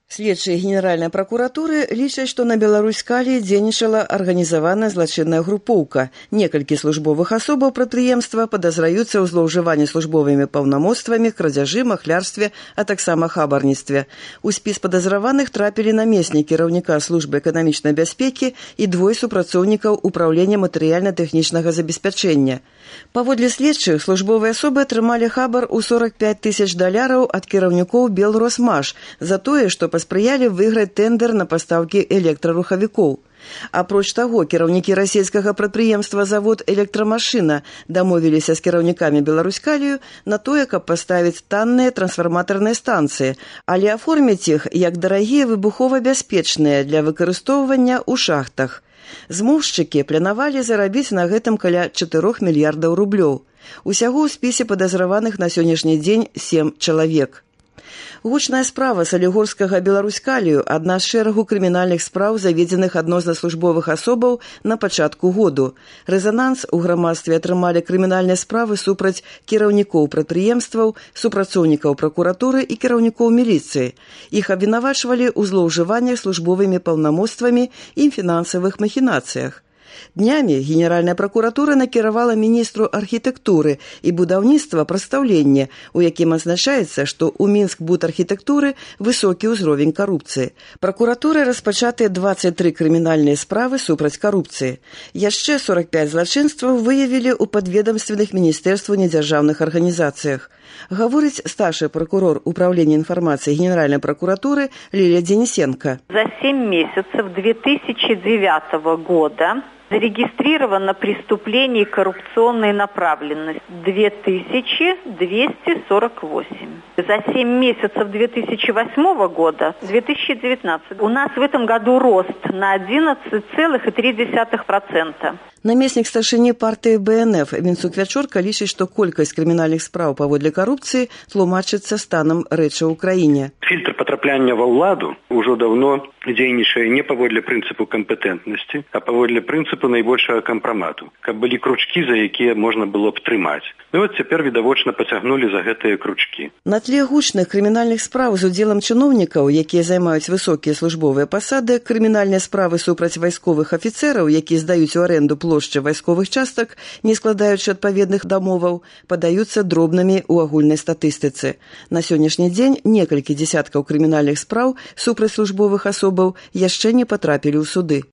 Следчыя Генеральнай пракуратуры лічаць, што на Беларусь-Калі дзейнічала арганізаваная злачынная групоўка. Некалькі службовых асобаў прадпрыемства падазраюцца ў злоўжыванні службовымі паўнамоцтвамі, крадзяжы, махлярстве, а таксама хабарніцтве. У спіс падазраваных трапілі намеснік кіраўніка службы эканамічнай бяспекі і двое супрацоўнікаў управлення матэрыяльна-тэхнічнага забеспячэння. Паводле следчых, службовыя асобы атрымалі хабар у $45 000 ад кіраўнікоў Белросмаш за тое, што паспрыялі выйграць тэндэр на пастаўкі электрарухавікоў. Апроч таго, кіраўнікі расійскага прадпрыемства «Завод электрамашына» дамовіліся з кіраўнікамі Беларусь-Калію на тое, каб паставіць танныя трансфарматарныя станцыі, але аформіць іх як дарагія выбухова-бяспечныя для выкарыстоўвання ў шахтах. Змоўшчыкі планавалі зарабіць на гэтым каля 4 мільярдаў рублёў. Усяго ў спісе падазраваных на сённяшні дзень 7 чалавек. Гучная справа салігорскага Беларусь-Калію – адна з шэрагу крымінальных спраў, заведзеных адносна службовых асобаў на пачатку году. Рэзананс у грамадстве атрымалі крымінальныя справы супраць кіраўнікоў прадпрыемстваў, супрацоўнікаў пракуратуры і кіраўнікоў міліцыі. Іх абвінавачвалі ў злоўжываннях службовымі паўнамоцтвамі і фінансавых махінацыях. Днямі Генеральная пракуратура накіравала міністру архітэктуры і будаўніцтва прадстаўленне, у якім адзначаецца, што ў Мінскбудархітэктуры высокі ўзровень карупцыі. Пракуратурай распачатыя 23 крымінальныя справы супраць карупцыі. Яшчэ 45 злачынстваў выявілі ў падведамственных міністэрстваў недзяржаўных арганізацыях. Гаворыць старший прокурор Управления информации Генеральной прокуратуры Лилия Денисенко. За 7 месяцев 2009 года зарегистрировано преступлений коррупционной направленности 2248. За 7 месяцев 2008 года, 2019, у нас в этом году рост на 11,3%. Намеснік старшыні партыі БНФ Мінцук Вячорка лічыць, што колькасць крымінальных спраў паводле карупцыі тлумачыцца станам рэчы ў краіне. Фильтр потрапляння ва ўладу ўжо давно дзейнічае не паводле прынцыпу кампетэнтнасці, а паводле прынцыпу найбольшага кампрамату, каб былі кручкі, за якія можна было б трымаць. І от цяпер відавочна пацягнулі за гэтыя кручкі. На тле гучных крымінальных спраў з удзелам чыноўнікаў, якія займаюць высокія службовыя пасады, крымінальныя справы супраць вайсковых афіцэраў, якія здаюць у аренду плошчы вайсковых частак, не складаючы адпаведных дамоваў, падаюцца дробнымі ў агульнай статыстыцы. На сённяшні дзень некалькі дзесяткаў крымінальных спраў супраць службовых асобаў яшчэ не патрапілі ў суды.